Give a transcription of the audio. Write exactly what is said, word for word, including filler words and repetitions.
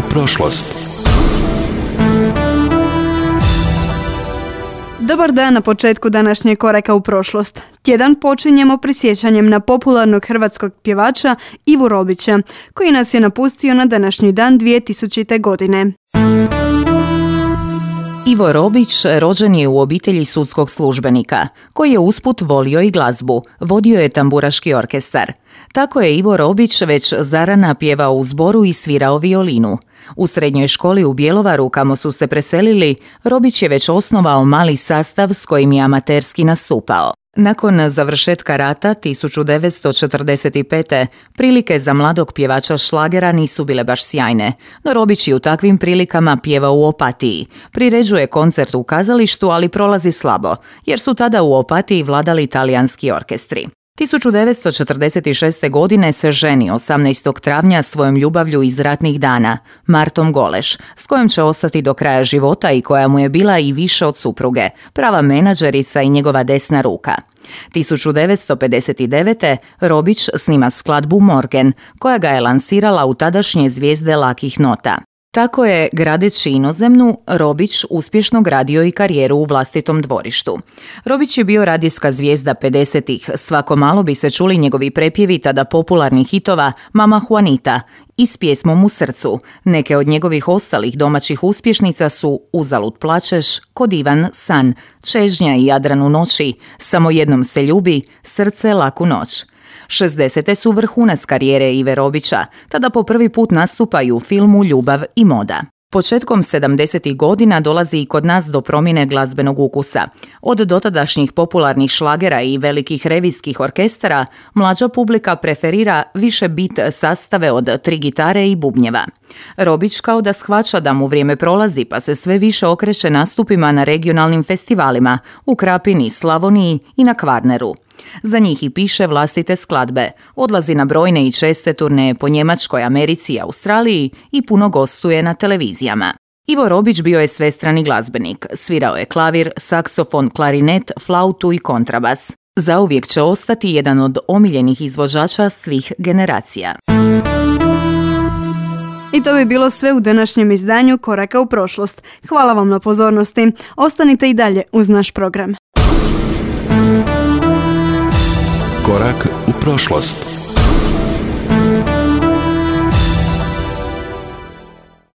prošlost. Dobar dan na početku današnjeg koraka u prošlost. Tjedan počinjemo prisjećanjem na popularnog hrvatskog pjevača Ivu Robića, koji nas je napustio na današnji dan dvije tisućite. godine. Ivo Robić rođen je u obitelji sudskog službenika, koji je usput volio i glazbu, vodio je tamburaški orkestar. Tako je Ivo Robić već zarana pjevao u zboru i svirao violinu. U srednjoj školi u Bjelovaru, kamo su se preselili, Robić je već osnovao mali sastav s kojim je amaterski nastupao. Nakon završetka rata tisuću devetsto četrdeset pete. prilike za mladog pjevača šlagera nisu bile baš sjajne, no Robić je u takvim prilikama pjevao u Opatiji. Priređuje koncert u kazalištu, ali prolazi slabo, jer su tada u Opatiji vladali talijanski orkestri. tisuću devetsto četrdeset šeste. godine se ženi osamnaestog travnja svojom ljubavlju iz ratnih dana, Martom Goleš, s kojom će ostati do kraja života i koja mu je bila i više od supruge, prava menadžerica i njegova desna ruka. tisuću devetsto pedeset devete. Robić snima skladbu Morgen, koja ga je lansirala u tadašnje zvijezde lakih nota. Tako je, gradeći inozemnu, Robić uspješno gradio i karijeru u vlastitom dvorištu. Robić je bio radijska zvijezda pedesetih. Svako malo bi se čuli njegovi prepjevi tada popularnih hitova Mama Juanita i S pjesmom u srcu. Neke od njegovih ostalih domaćih uspješnica su Uzalud plačeš, Ko divan san, Čežnja i Jadran u noći, Samo jednom se ljubi, Srce laku noć. šezdesete su vrhunac karijere Ive Robića, tada po prvi put nastupaju u filmu Ljubav i moda. Početkom sedamdesetih godina dolazi i kod nas do promjene glazbenog ukusa. Od dotadašnjih popularnih šlagera i velikih revijskih orkestara, mlađa publika preferira više bit sastave od tri gitare i bubnjeva. Robić kao da shvaća da mu vrijeme prolazi, pa se sve više okreće nastupima na regionalnim festivalima u Krapini, Slavoniji i na Kvarneru. Za njih i piše vlastite skladbe, odlazi na brojne i česte turneje po Njemačkoj, Americi i Australiji i puno gostuje na televizijama. Ivo Robić bio je svestrani glazbenik, svirao je klavir, saksofon, klarinet, flautu i kontrabas. Zauvijek će ostati jedan od omiljenih izvođača svih generacija. I to bi bilo sve u današnjem izdanju Koraka u prošlost. Hvala vam na pozornosti. Ostanite i dalje uz naš program. Korak u prošlost.